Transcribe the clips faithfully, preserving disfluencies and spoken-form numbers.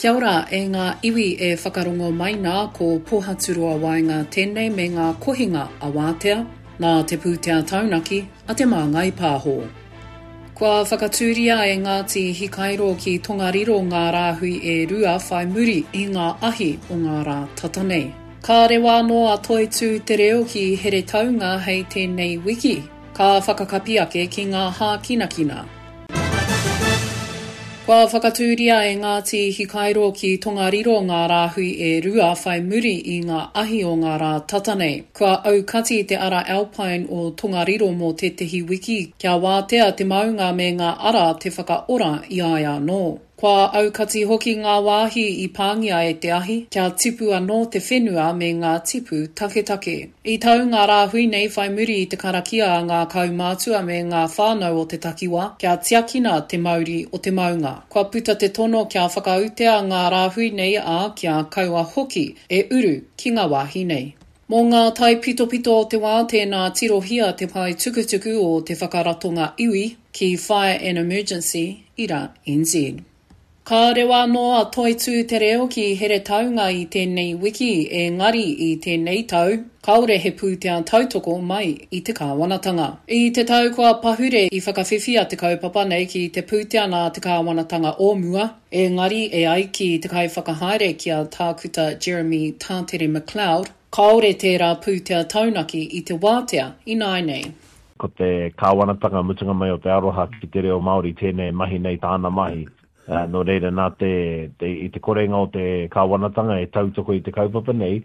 Kia ora e ngā iwi e whakarongo mai nā ko Pōhaturoa Waenga tēnei me ngā kohinga a Wātea, nā te pūtea taunaki a Te Māngai Pāho. Kua whakatūria e Ngāti Hikairo ki Tongariro ngā rāhui e rua whai muri i ngā ahi o ngā rā tata nei. Ka rewa anō a Toitū Te Reo ki Heretaunga hei tēnei wiki, ka whakakapi ake ki ngā hākinakina. Kua whakatūria e Ngāti Hikairo ki Tongariro ngā rāhui e rua whai muri i ngā ahi o ngā rā tata nei. Kua aukati te ara Alpine o Tongariro mō tētehi wiki, kia wātea te maunga me ngā ara te whakaora i a ia anō. Kua aukati hoki ngā wāhi i pāngia e te ahi, kia tipu anō te whenua me ngā tipu taketake. I tau ngā rāhui nei whai muri i te karakia a ngā kaumātua me ngā whānau o te takiwā, kia tiakina te mauri o te maunga. Kua puta te tono kia whakautea ngā rāhui nei ā, kia kaua hoki e uru ki ngā wāhi nei. Mō ngā taipitopito o te wā tēnā tirohia te pae tukutuku o te whakaratonga iwi ki Fire and Emergency ira NZ. Ka rewa anō a Toitū Te Reo ki Heretaunga i tēnei wiki, engari i tēnei tau, kāore he pūtea tautoko mai i te kāwanatanga. I te tau kua pahure i whakawhiwhia te kaupapa nei ki te pūtea nā te kāwanatanga o mua, engari e ai ki te kaiwhakahaere ki a Tākuta Jeremy Tātere McLeod, kāore tērā pūtea taunaki i te wātea ināianei. Ko te kāwanatanga mutunga mai o te aroha ki te reo Māori tēnei mahi nei tāna mahi. Uh, nō reira nā te, te, i te korenga o te kāwanatanga e tautoko i te kaupapa nei,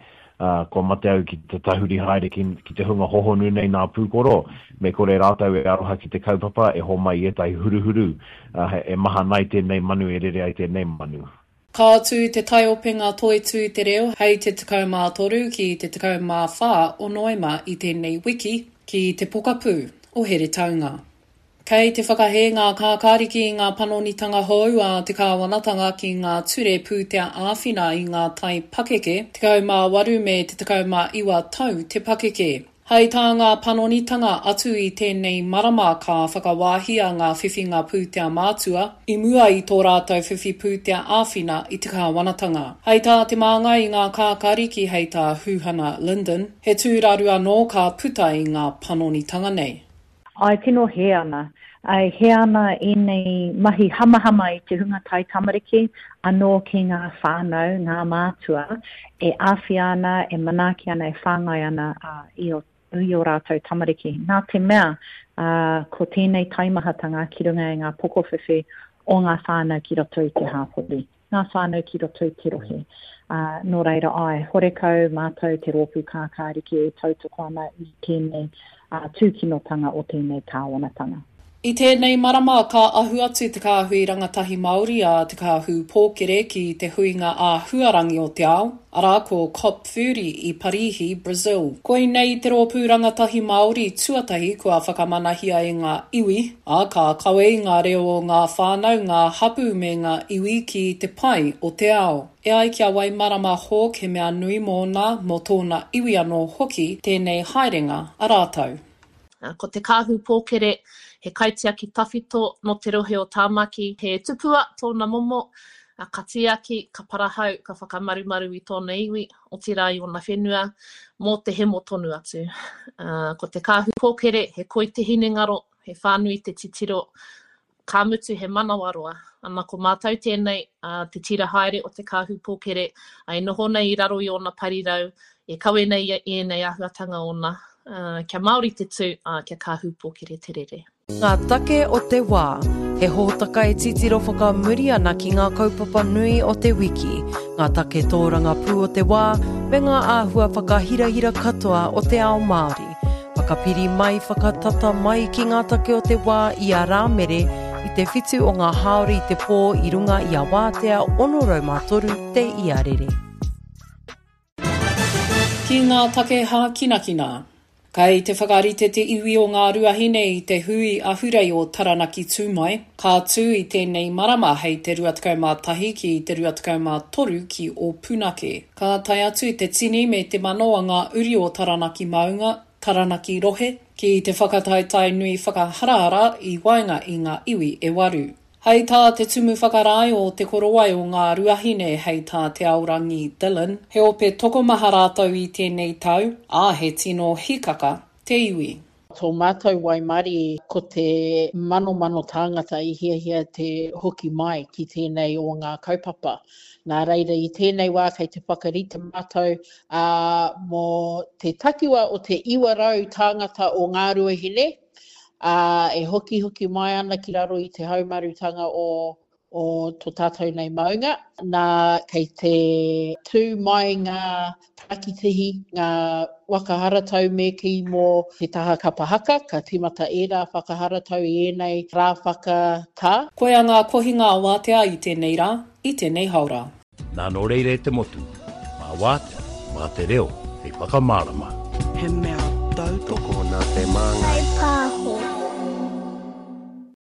uh, kua mate au ki te tahuri haere ki, ki te hunga hohonu nei nā pūkoro, me kore rātou e aroha ki te kaupapa e homai i ētahi huruhuru, uh, e mahana ai tēnei manu e rere ai tēnei manu. Ka tū te taiopenga Toitū Te Reo hei te tekau mā toru ki te tekau mā whā o Noema i tēnei wiki ki te pokapū o Heretaunga. Kei te whakahē ngā kākāriki i ngā panonitanga hou a te kāwanatanga ki ngā ture pūtea āwhina i ngā tai pakeke, tekau mā waru me te tekau mā iwa tau te pakeke. Hei tā ngā panonitanga atu i tēnei marama ka whakawāhia ngā whiwhinga pūtea mātua i mua i tō rātou whiwhi pūtea āwhina i te kāwanatanga. Hei tā te māngai i ngā kākāriki hei tā Huhana Lyndon, he tūraru anō ka puta i ngā panonitanga nei. Ai tino hē ana. Ai hē ana ēnei mahi hamahama i te hunga tai tamariki, anō ki ngā whānau, ngā mātua, e āwhia ana, e manaaki ana, e whāngai ana uh, i o, i o rātou tamariki. Nā te mea, uh, ko tēnei taimahatanga ki runga i ngā pokowhiwhi o ngā whānau ki roto i te hāpori, ngā whānau ki roto i te rohe. Uh, nō reira ai, horekau mātou te rōpū kākāriki e tautoko ana i tēnei uh, tūkinotanga o tēnei kāwanatanga. I tēnei marama ka ahu atu te kāhui rangatahi Māori a Te Kāhu Pōkere ki te huinga āhuarangi o te ao, arā ko COP thirty i Parīhi, Brazil. Koinei te rōpū rangatahi Māori tuatahi kua whakamanahia e ngā iwi, ā ka kawe i ngā reo o ngā whānau, ngā hapū me ngā iwi ki te pai o te ao. E ai ki a Waimarama Hawke he mea nui mōna, mō tōna iwi anō hoki, tēnei haerenga a rātou. Ko Te Kāhu Pōkere, he kaitiaki tawhito nō te rohe o Tāmaki, he tupua tōna momo, ka tiaki, ka parahau, ka whakamarumaru i tōna iwi, otirā i ōna whenua, mō te hemo tonu atu. Ko Te Kāhu Pōkere, he koi te hinengaro, he whānui te titiro, ka mutu he manawaroa. Ana ko mātou tēnei, te tira haere o Te Kāhu Pōkere, e noho nei i raro i ōna parirau, e kawe nei i ēnei āhuatanga ōna, kia Māori te tū, kia Kāhu Pōkere te rere. Ngā take o te wā, he hōtaka e titiro whakamuri ana ki ngā kaupapa nui o te wiki, ngā take tōrangapū o te wā, me ngā āhua whakahirahira katoa o te ao Māori. Whakapiri mai, whakatata mai ki ngā take o te wā i a Rāmere i te whitu o ngā hāori i te pō i runga i a Wātea ono rau mā toru te iarere. Ki ngā take hākinakina. Kei te whakarite te iwi o ngā ruahine i te hui ahurei o Taranaki Tūmai, ka tū i tēnei marama hei te rua tekau mā tahi ki te rua tekau mā toru ki Ōpunake. Ka tae atu te tini me te mano a ngā uri o Taranaki Maunga, Taranaki Rohe, ki te whakataetae nui whakaharahara i waenga i ngā iwi e waru. Hei tā te Tumu Whakarae o Te Korowai o Ngāruahine hei tā Te Aorangi Dillon, he ope tokomaha rātou i tēnei tau, ā, he tino hikaka te iwi. Tō mātou waimarie ko te manomano tāngata i hiahia te hoki mai ki tēnei o ngā kaupapa. Nā reira i tēnei wā kei te whakarite mātou ā, mō te takiwa o te iwa rau tāngata o Ngāruahine, ā, e hokihoki mai ana ki raro i te haumarutanga o, o tō tātou nei maunga. Nā, kei te tū mai ngā parakitihi, ngā waka haratau me kī mō te taha kapa haka, ka tīmata ērā whakaharatau i ēnei rā whakatā. Koia ngā kohinga wātea i tēnei rā, i tēnei haora. Nā nō reira e te motu, mā wātea, mā te reo hei whakamārama. He mea tautoko nā te Māngai.